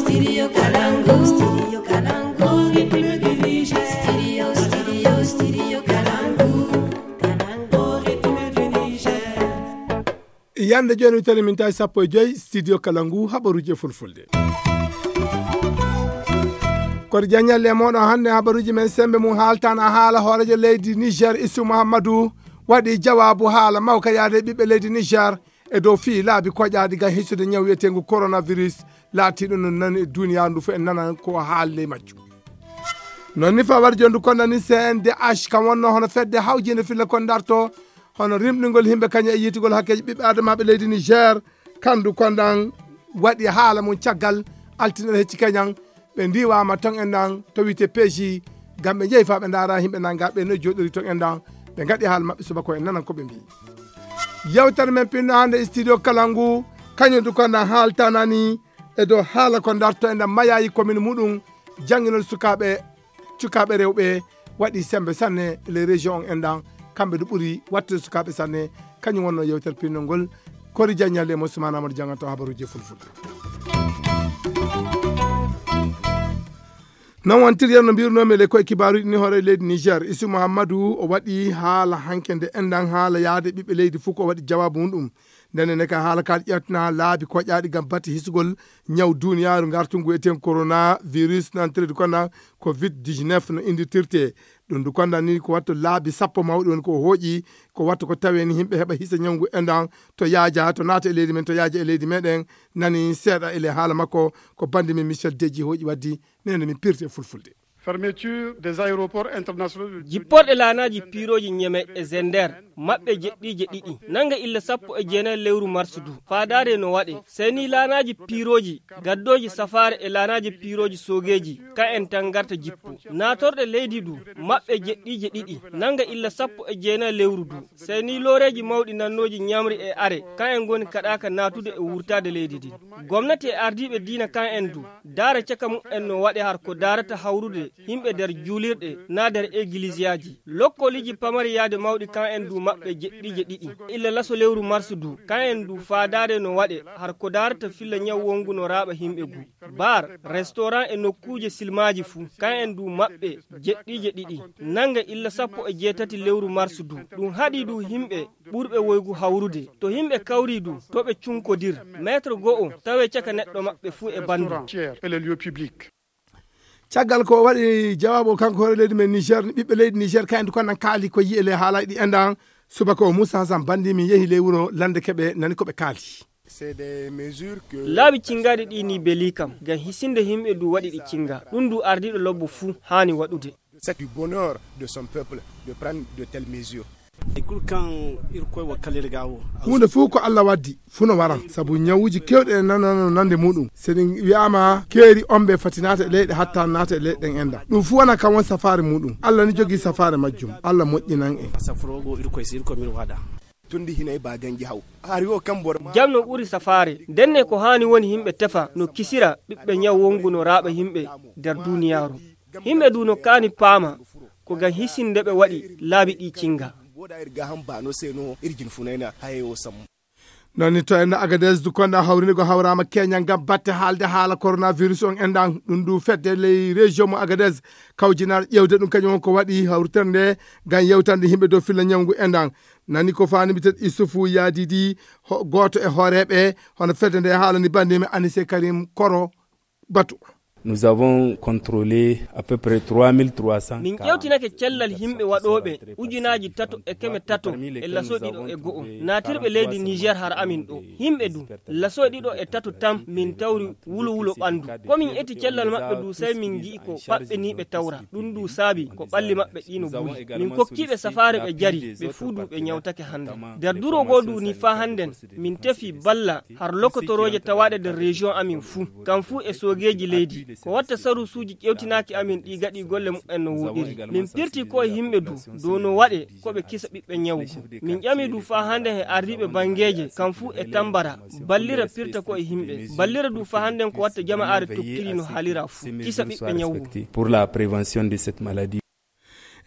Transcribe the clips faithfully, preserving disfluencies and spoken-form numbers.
Studio Kalangu. Studio Kalangu. Studio, studio, studio Kalangu. Kalangu, rythme du Niger. Yande jooni wittere min tawi sappo e joyi studio kala ngu habaruuji e fulfulde. Koto jaññalle e mooɗon hannde habaruuji men sembe mum haaltana haala hoorejo leydi Niger Isu Muhammadu waɗi jawaabu haala mawka yaade ɓiɓɓe leydi Niger e dow fii laabi koƴaaɗi ngam hisude ñaw wiyeteengu coronavirus laatiiɗo no nani e duniyaaru ndu fof en nana ko haali ley majju. Noon ni fa waɗi jondu konda ni C N D H kam wonno hono fedde hawjinde filla kon darto hono rimɗingol himɓe kañum e yiytugol hakkeeji ɓiɓɓe adamaaɓe leydi Niger. Kandu kondan waɗi haala mum caggal altine hecci keñan ɓe ndiwama ton en nan to wiyte P J ngam ɓe jeeyi fa ɓe ndaara himɓe nanga ɓe no joɗori ton en nan ɓe ngaɗi haala maɓɓe subaka en nanan ko ɓe mbi. Yewtere men pinno hannde e studio kala ngu kañum du kondan haaltanani e dow haala ko darto e nder mayayi commune muɗum jannginol sukaaɓe cukaaɓe rewɓe waɗi sembe sanne les régions on enɗan kamɓe du ɓuri wattude sukaaɓe sanne. Kañum wonno yewtere pinnol ngol kori jaññalle e mo Ousmane Amadou Dianganto habaruji e fulfulde. Non wontiryen no mbirnomi le koye kibaruji ni hoore leydi Niger Isu Muhammadu o waɗi haala hanke nde enɗan haala yaade ɓiɓɓe leydi fof ko waɗi jawabu mum ɗum. Nden ne ka haala kal ƴetna laabi koƴaaɗi ngam batte hisugol ñaw duniyaaru ngartungu eten coronavirus nantirde konda covid dix-neuf no inndirtirte. Ɗum du konda ni ko watto laabi sappo mawɗi woni ko hooƴi ko watto ko tawe ni himɓe heɓa hisa ñawngu endan to yaaja to naata e leydi men to yaaja e leydi meɗen. Nani seeɗa ele haala makko ko bandi min Michel Deji hooƴi waddi nene min pirti e fulfulde. Fermeture des aéroports internationaux de Jipporɗe laanaaji piirooji Ñeme e Zender maɓɓe jeɗɗiije ɗiɗi nanga illa sappo e jeenayi lewru marsu du faadaare no waɗe seni laanaaji piirooji gaddooji safaare e laanaaji piirooji soogeeji ka en tan ngarta jippo naatorɗe leydi du maɓɓe jeɗɗiije ɗiɗi nanga illa sappo e jeenayi lewru du seni looreeji mawɗi nannooji ñamri e are ka en ngoni kaɗaaka naatude e wurtaade leydi ndi. Gomnati e ardiiɓe diina kan en du daara caka mumen no waɗe har ko daarata hawrude himɓe nder juulirɗe na nder egilisiyaji lokkoliiji pamari yaade mawɗi kan en du maɓɓe jeɗɗiije ɗiɗi illa laso lewru marsu du kan en du faadaare no waɗe har ko daarata filla ñaw wongu no raaɓa himɓe gu bar restaurant e nokkuuje silmaaji fuu kan en du maɓɓe jeɗɗiije ɗiɗi nanga illa sappo e jeetati lewru marsu du ɗum haɗi du himɓe ɓurɓe woygu hawrude to himɓe kawri du to ɓe cunkodir mètre go'o tawe caka neɗɗo maɓɓe fuu e bandu. Caggal ko waɗi jawaabu kanko hoore leydi men Niger ni ɓiɓɓe leydi Niger kayndi kon nan kaali ko yi'e le haalay ɗi endan subaka o Moussa Hassan bandi min yehi ley wuro lande keɓe nani ko ɓe kaali. Laabi cingaɗi ɗi ni beli kam ngam hisinde himɓe du waɗi ɗi cinga ɗum du ardiɗo lobbo fuu haani waɗude. C'est du bonheur de son peuple de prendre de telles mesures. Huunde fuu ko Allah waddi fuu no wara sabu ñawuuji keewɗi e nanano nande muɗum so ɗi wi'aama keeri ombe fati naata e leyɗe hatta naata e leyɗe ɗen enda ɗum fuu wona kam won safaare muɗum. Allah ni jogii safaare majjum. Allah moƴƴinan en. Tun di hinay ba ganji haw hari o kan bor ma. Jam no ɓuri safaare ndenne ko haani woni yimɓe tefa no kisira ɓiɓɓe ñaw wongu no raaɓa yimɓe nder duniyaaru. Yimɓe du no kaani paama ko ngam hisinde ɓe waɗi laabi ɗi cinga. Boda ir ga han ba no se no ir jin funayna haye o sammu. Noon ni to enda Agadez du konda hawrinde go hawrama keñal ngam batte haalde haala coronavirus on endan ɗum du fedde ley région mo Agadez kawjinaar ƴewde ɗum kañum on ko waɗi hawritere nde ngam yewtande yimɓe dow filla ñawngu endan. Nani ko faani mbitet Issoufou Yadidi gooto e hooreeɓe hono fedde nde haalani bannde men Anise Karim Koro batu. Nous avons contrôlé à peu près trois mille trois cents. Min ƴewtinake cellal yimɓe waɗooɓe ujunaaji tato e keme tato e laso ɗiɗo e go'o naatirɓe leydi Niger har amin ɗo. Yimɓe du laso ɗiɗo e tato tan min tawri wulo wulo ɓanndu. Ko min eti cellal maɓɓe du sey min ngi'i ko paɓɓeniiɓe tawra. Ɗum du saabi ko ɓalli maɓɓe ɗi no buli. Min kokkiiɓe safaare ɓe jari ɓe fuu du ɓe ñawtake hannde. Nder duro goo du ni faa hannden min tefi balla har lokotorooje tawaaɗe nder région amin fuu. Kam fuu e soogeeji leydi. Ko watta sarusuuji ƴewtinaaki amin ɗi gaɗi golle mumen no wooɗiri. Min pirti ko e yimɓe du dow no waɗe ko ɓe kisa ɓiɓɓe ñawgu. Min ƴami du faa hannde he ardiiɓe banngeeje kam fuu e tambara. Ballira pirta ko e yimɓe. Ballira du faa hannden ko watta jama'aare toktiri no haalira fuu. Kisa ɓiɓɓe ñawgu. Pour la prévention de cette maladie.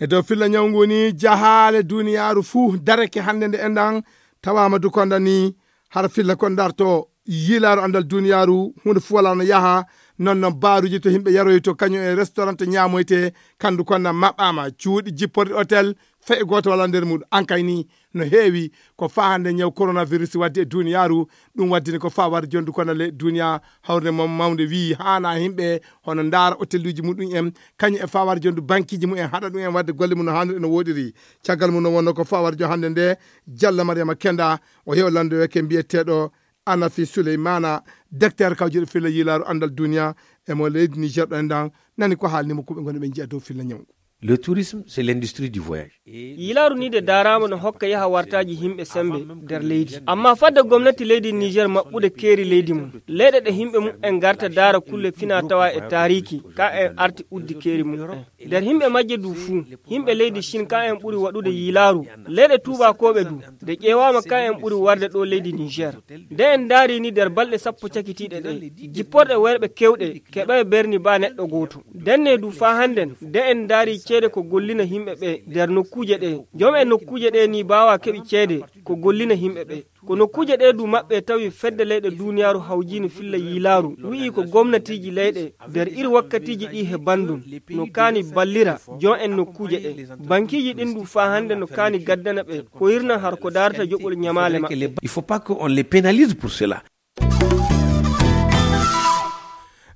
E dow filla ñaw ngu ni jahaale duniyaaru fuu darake hannde nde enɗan tawaama du konda ni hara filla kon darto yiilaaru anndal duniyaaru huunde fuu walaa no yaha Non non baaruuji to yimɓe yaroyto kañum e restaurant ñaamoyte, kandu kon na maɓɓaama, cuuɗi jipporde hôtel, fay gooto wala nder muɗum. Ankay ni no heewi ko faa hannde ñaw coronavirus waddi e duniyaaru. Ɗum waddini ko faa war jondu kono le duniya hawre mo mawnde wii haana yimɓe hono ndaara hoteluuji muɗum en, kañum e faa war jondu bankiiji mumen haɗa ɗum en wadde golle mum no haaniri no woɗiri. Caggal mum no wonno ko faa war jo hannde nde, Jalla Mariama Kenda, o yew lande weke mbiyeteeɗo Anafi Souleymana, docteur kawjuɗo filla yilaaru andal duniya e mo leydi Niger ɗo en dan, nani ko haalni mo ko ɓe ngoni ɓe njiya dow filla ñawngu. Le tourisme, c'est l'industrie du voyage. Yilaaru ni de daaraama no hokka yaha wartaaji yimɓe sembe nder leydi. Amma fadde gomnati leydi Niger maɓɓude keeri leydi mum, leyɗe ɗe yimɓe mum en garta daara kulle fina tawa e taariki, ka en arti uddi keeri mum en. Nder yimɓe majje du fuu, yimɓe leydi Chine ka en ɓuri waɗude yilaaru. Leyɗe tuubakooɓe du, de ƴeewaama ka en ɓuri warde ɗo leydi Niger. Nde en ndaari ni nder balɗe sappo cakitiiɗe ɗe, jipporɗe worɓe kewɗe keɓay berni ba neɗɗo gooto. Denne du faa hannden, nde en ndaari ceede ko gollina yimɓe ɓe nder nokkuuje ɗe. Joom en nokkuuje ɗe ni baawa keɓi ceede ko gollina yimɓe ɓe. Ko nokkuuje ɗe du maɓɓe tawi fedde leyɗe duniyaaru hawjiino filla yilaaru, wi'i ko gomnatiiji leyɗe nder iri wakkatiiji ɗi he banndum no kaani ballira joom en nokkuuje ɗe. Bankiiji ɗin du faa hannde no kaani gaddana ɓe ko hirna har ko daarata joɓol ñamaale maɓɓe. Il faut pas qu'on les pénalise pour cela.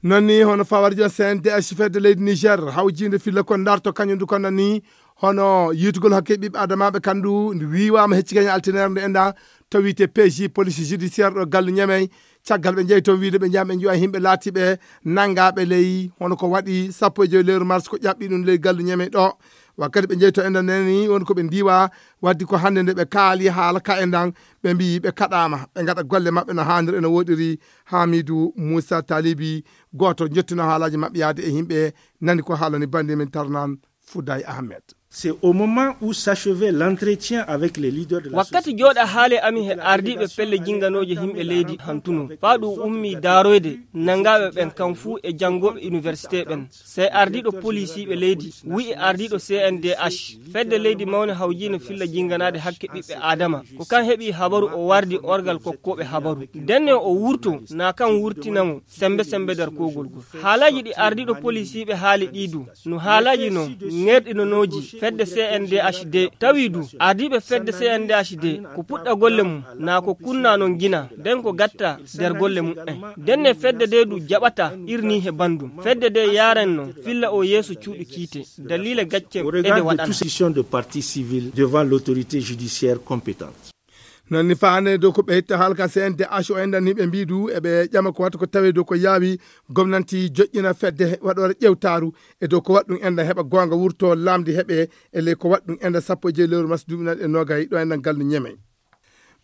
Non ni hono fawarjo C N D H fedde leydi Niger hawjiinde filla kon darto kañum du kono ni hono yiitugol hakke ɓiɓɓe adamaaɓe kandu ndu wiiwaama hecci kañum altineere nde enda to wiyte P J police judiciaire ɗo gallu Ñamey. Caggal ɓe njeyi toon wiide ɓe njaha ɓe njiwa yimɓe laatiiɓe nanngaaɓe ley hono ko waɗi sappo e joy lewru mars ko ƴaɓɓi ɗum ley gallu Ñamey ɗo. Wakkati ɓe njeyi to enda neni woni ko ɓe ndiwa waddi ko hannde nde ɓe kaali haala ka endan ɓe mbiyi ɓe kaɗaama ɓe ngaɗa golle maɓɓe no haaniri eno woɗiri. Hamidu Moussa Talibi gooto jottino haalaaji maɓɓe yaade e yimɓe nani ko haalani bandi min tarnan Fouday Ahmed. C'est au moment où s'achevait l'entretien avec les leaders de la wakkati jooɗa haale amin he ardiiɓe pelle jinganooje yimɓe leydi hantuno faa ɗum ummi daaroyde nanngaaɓe ɓen kam fuu e janngooɓe université ɓen. Sey ardiiɗo polisiiɓe leydi wi'i ardiiɗo C N D H fedde leydi mawne hawjiino filla jinganaade hakke ɓiɓɓe aadama ko kan heɓi habaru o wardi orgal kokkooɓe habaru. Denne o wurto na kan wurtina mo sembe sembe nder kogol gol. Haalaaji ɗi ardiiɗo polisiiɓe haali ɗi du no haalaaji non ŋerɗinonooji fedde C N D H D. Tawi du ardiiɓe fedde C N D H D ko puɗɗa golle mum na ko kunna non gina nden ko gatta nder golle mum en. Denne fedde de du jaɓata irni he bandum fedde de yaren non filla o yeeso cuuɗi kiite. Daliila gacce ede waɗana. Tous session de partie civile devant l'autorité judiciaire compétente. Non ni faane dow ko ɓe hetta haalka C N D H o enɗan ni ɓe mbidu eɓe ƴama ko watta ko tawe dow ko yaawi gomnanti joƴƴina fedde waɗore ƴewtaru e dow ko waɗɗum enɗan heɓa goonga wurto lamdi heɓe e ley ko waɗɗum enɗan sappo e joyi lewru mars duuɓi naɗi e nogay ɗo enɗan gallu Ñamey.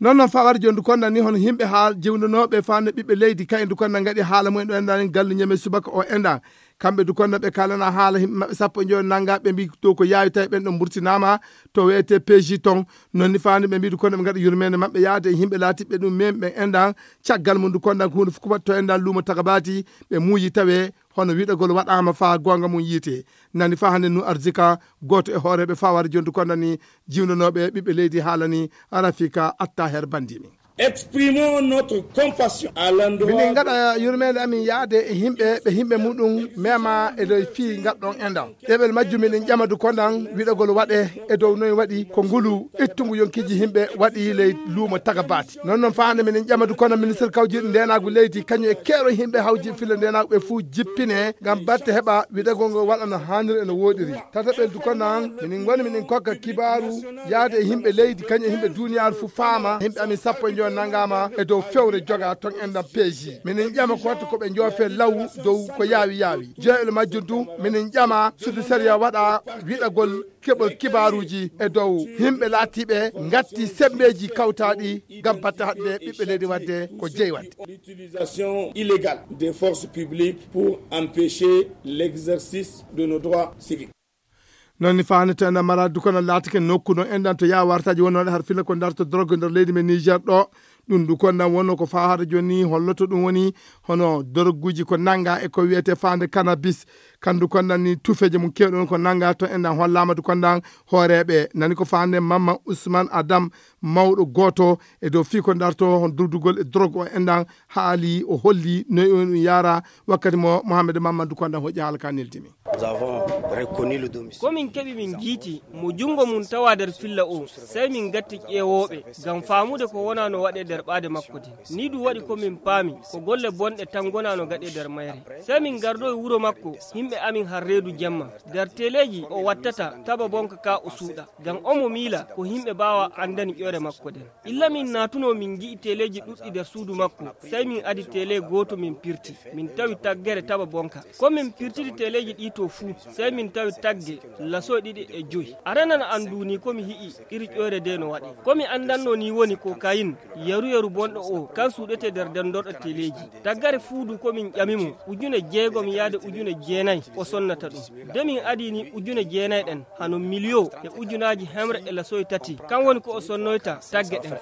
Non non fawar jondu konda ni hono yimɓe haal jiwndanooɓe faane ɓiɓɓe leydi kay ndu konda ngaɗi haala mumen ɗo enɗan gallu Ñamey subaka o enɗan kamɓe du konda ɓe kalana haala yimɓe maɓɓe sappo e joyi nanga ɓe mbi dow ko yaawi tawi ɓen ɗon mburtinama to wiyete P J ton. Non ni faani ɓe mbiɗi kono ɓe ngaɗa yurmeende maɓɓe yaade e yimɓe laatiɓe ɗum men ɓen enɗan. Caggal mum du konɗan ko huunde fof ko waɗto enɗan luumo tagabaati ɓe muuyi tawe hono wiɗagol waɗaama faa goonga mum yiite. Nani faa hannde nu arzika gooto e hooreeɓe faware jondu konɗan ni jiwndanooɓe ɓiɓɓe leydi haalani Rafika Attaher Bandimi. Exprimons notre compassion à l'endroit minin ngaɗa yurmeende amin yaade e yimɓe ɓe yimɓe muɗum mema e dow fii ngaɗɗon enɗan. Ɗeɓel majjum miɗen ƴama du konɗan wiɗagol waɗe e dow noy waɗi ko ngulu ittungu yonkiiji yimɓe waɗi ley luumo tagabaati. Non non faande miɗen ƴama du kono ministre kawjiiɗo ndenaagu leydi kañum e keero yimɓe hawji filla ndenaagu ɓe fuu jippine ngam batte heɓa wiɗagol ngol waɗa no haaniri e no wooɗiri. Tataɓel du konɗan miɗen ngoni miɗen kokka kibaaru yaade e yimɓe leydi kañum e yimɓe duniyaaru fuu faama yimɓe amin sappo e njoyo nanngaama e dow fewre joga ton enɗan peeji. Miɗen ƴama ko watta ko ɓe njoofe law dow ko yaawi yaawi. Jeeɗiɗo majjum du miɗen ƴama suudu sariya waɗa wiɗagol keɓol kibaaruuji e dow yimɓe laatiiɓe ngatti semmbeeji kawtaaɗi ngam batte haɗde ɓiɓɓe leydi waɗde ko jeyi waɗde. L'utilisation illégale des forces publiques pour empêcher l'exercice de nos droits civiques. Non ni faani to enɗan maraadu kono laatike nokku no enɗan to yaa wartaaji wonnooɗe har filla ko darto drogue nder leydi men Niger ɗo. Ɗum du konɗan wonno ko faa hara jooni holloto ɗum woni hono doroguuji ko nannga e ko wiyetee faande cannabis. Kandu konɗan ni tufeeje mum keewɗe on ko nannga to enɗan hollaama du konɗan hooreeɓe nani ko faande Mamma Ousmane Adam mawɗo gooto e dow fii ko darto hon durdugol e drogue o enɗan haali o holli noy on ɗum yaara. Wakkati mo Mohamed Mamadou Kondan hoƴƴi haala ka neldi min. Ko min keɓi min jiiti mo junngo mum tawa nder filla o, sey min ngatti ƴeewooɓe ngam faamude ko wonaa no waɗee nder ɓaade makko nden. Nii ɗum waɗi ko min paami ko golle bonɗe tan ngonaa no gaɗee nder mayre. Sey min ngardoyi wuro makko, yimɓe amin har reedu jemma. Nder teleeji o wattata taba bonka ka o suuɗa. Ngam omo miila ko yimɓe baawa anndani ƴoore makko nden. Illa min naatunoo min ngi'i teleeji ɗuɗɗi nder suudu makko, sey min adi tele gooto min pirti. Min tawi taggere taba bonka. Ko min pirtidi teleeji ɗii to fuu, sey min tawi tagge, lasoy ɗiɗi e joy. A renan an duuni ko mi hi'i iri ƴoyre de no waɗi. Ko mi andanno ni woni ko kayin, yeru yeru bonɗo o, kan suuɗete nder dendorɗo teleeji. Taggare fuu du ko min ƴami mo, ujune jeegom yaade ujune jeenay o sonnata ɗum. De min adi ni ujune jeenay ɗen, hano miliyo e ujunaaji hemre e lasoy tati. Kan woni ko o sonnoyta tagge ɗen.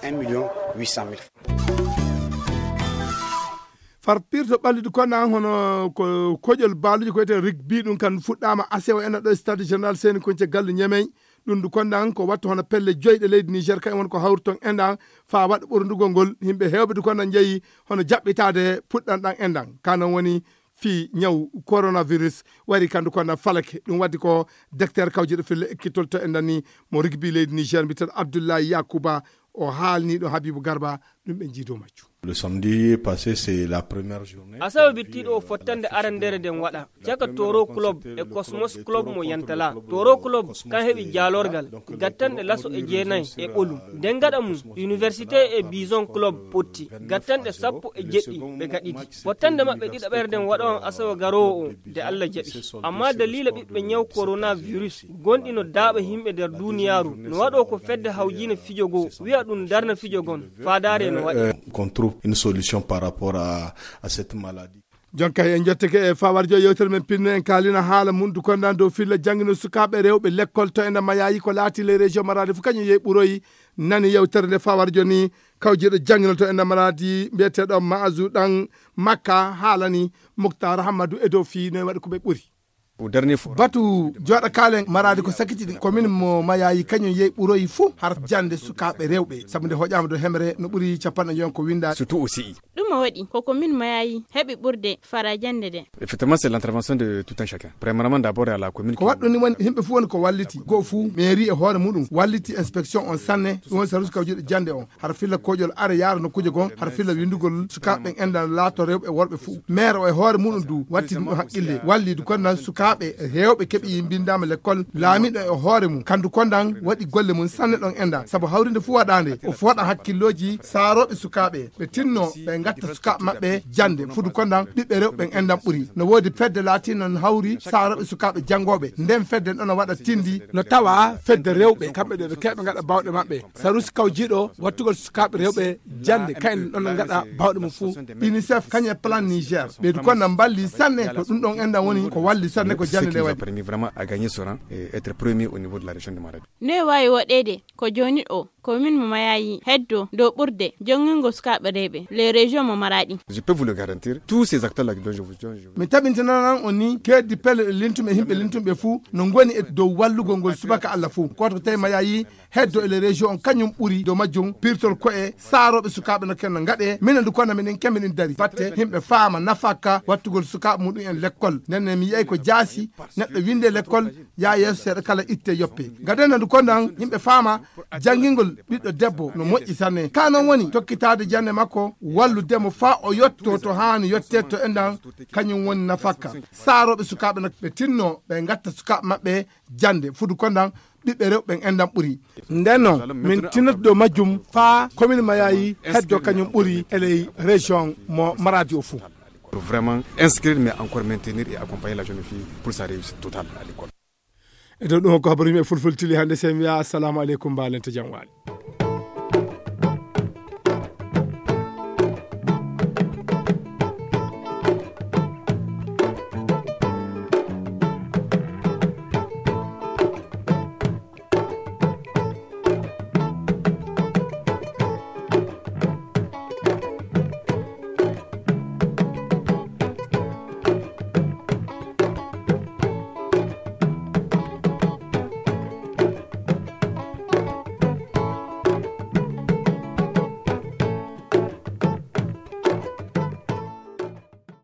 Farpirto ɓallidu konna hono ko koƴol baaluji ko wiyetee rugby, ɗum kan fuɗɗaama asewo ena ɗo stade général seni konce gallu ñemey. Ɗum du kondan ko wattu hono pelle joyi ɗe leydi Niger kañum woni ko hawri ton enɗan faa waɗa ɓurndugol ngol. Yimɓe heewɓe du kondan njeyi hono jaɓɓitaade puɗɗan ɗan enɗan ka non woni fii ñaw coronavirus wari kandu kondan falake. Ɗum waddi ko docteur kawjiɗo fille ekkitol to enɗan ni mo rugby leydi Niger mbiyeteeɗo Abdoulaye Yakuba. O haalni ɗo Habibu Garba. Ɗum ɓe njiido majju. Le samedi passé, c'est la première journée. Asawe bittiiɗo o fottande arandere nden waɗa caka Toro Club e Cosmos Club mo Yantala. Toro Club kan heɓi jaalorgal gattanɗe laso e jeenay e ɓolum. Nden gaɗa mum Université e Bison Club potti gattanɗe sappo e jeɗɗi ɓe gaɗidi. Fottande maɓɓe ɗiɗaɓere nden waɗa on asawe garoowo o de Allah jaɓi. Amma daliila ɓiɓɓe ñaw coronavirus gonɗi no daaɓa yimɓe nder duuniyaaru no waɗo ko fedde hawjiina fijo goo wi'a ɗum darna fijo gon faadaare no waɗi. Qu'on trouve une solution par rapport à, à cette maladie. Jonka en jotteke e fawar jo yewtere men pinno en kaalina haala mum du kondan dow filla janngino sukaaɓe rewɓe lekkol to ena mayayi ko laati les région maradi fof kañum yehi ɓuroyi. Nani yewtere nde fawar jo ni kawjiɗo janngino to ena maradi mbiyeteɗo maasu ɗan makka haalani muktar hammadu e dow fii no e waɗi ko ɓe ɓuri. Batu jooɗa kaalen maraade ko sakiti ɗin komin mo mayayi kañum yehi ɓuroyi fuu har jannde sukaaɓe rewɓe sabu nde hoƴaama dow hemre no ɓuri capanɗe joyon ko winnda. Surtout aussi. Ɗum o waɗi ko komin mayayi heɓi ɓurde fara jannde nde. Effectivement, c'est l'intervention de tout un chacun. Premièrement, d'abord à la commune. Ko waɗɗum ni woni yimɓe fuu woni ko walliti goo fuu mairie e hoore muɗum walliti inspection on sanne ɗum woni service kawjuɗo jannde on. Hara filla koƴol are yaara nokkuuje goo hara filla winndugol sukaaɓe ɓen enɗan laato rewɓe e worɓe fuu. Maire o e hoore muɗum du wattini ɗum haqqille walli du kondan sukaaɓe heewɓe keɓi mbinndaama lekkol laamiɗo e hoore mum kandu kondan waɗi golle mum sanne ɗon enɗan sabu hawrinde fuu waɗaande o fooɗa hakkillooji saarooɓe sukaaɓe ɓe tinno ɓe ngatta sukaaɓe maɓɓe jannde fudu kondan ɓiɓɓe rewɓe ɓen enɗan ɓuri no woodi fedde laatiino no hawri saarooɓe sukaaɓe janngooɓe nden fedde ɗon no waɗa tindi no tawa fedde rewɓe kamɓe ɗo ɓe keɓe ngaɗa bawɗe maɓɓe. Sarusi kawjiɗo wattugol sukaaɓe rewɓe jannde kayen ɗon no ngaɗa bawɗe mum fuu. Unicef kañum e plan niger ɓeydu kon na mballi sanne ko ɗum ɗon enɗan woni ko walli sanne ko jannde nde waɗi. Permis vraiment à gagner ce rang et être premier au niveau de la région de Maradi. No e waawi woɗeede ko jooni o komin mo mayayi heddo dow ɓurde jongingol sukaaɓe rewɓe les régions mo maraɗi. Je peux vous le garantir, tous ces acteurs là dont je vous dont je vous. Mi tabintinanan on ni keeddi pelle ɗe lintuɓe himɓe lintuɓe fuu no ngoni e dow wallugol ngol subaka allah fuu koto tawi mayayi heddo e les régions on kañum ɓuri dow majjum pirtol koye saarooɓe sukaaɓe no kenno ngaɗe minen du kono minen kembe ɗin dari batte himɓe faama nafaka wattugol sukaaɓe muɗum en lekkol ndenne mi yiyay ko jaasi neɗɗo winde lekkol yaa yeeso seeɗa kala itte yoppe. Gaden ndu kondan yimɓe faama janngingol ɓiɗɗo debbo no moƴƴi sanne ka non woni tokkitaade jannde makko wallude mo faa o yotto to haani yottee to enɗan kañum woni nafakka. Saarooɓe sukaaɓe no ɓe tinno ɓe ngatta sukaaɓe maɓɓe jannde fudu kondan ɓiɓɓe rewɓe ɓen enɗan ɓuri. Nden non min tinnoto dow majjum faa komin mayayi heddo kañum ɓuri e ley région mo maradi o fuu. Pour vraiment inscrire mais encore maintenir et accompagner la jeune fille pour sa réussite totale à l'école. E dow ɗum ko habaru yimɓe fulfultili hannde sen wiya assalamu aleykum mbaalente jam waali.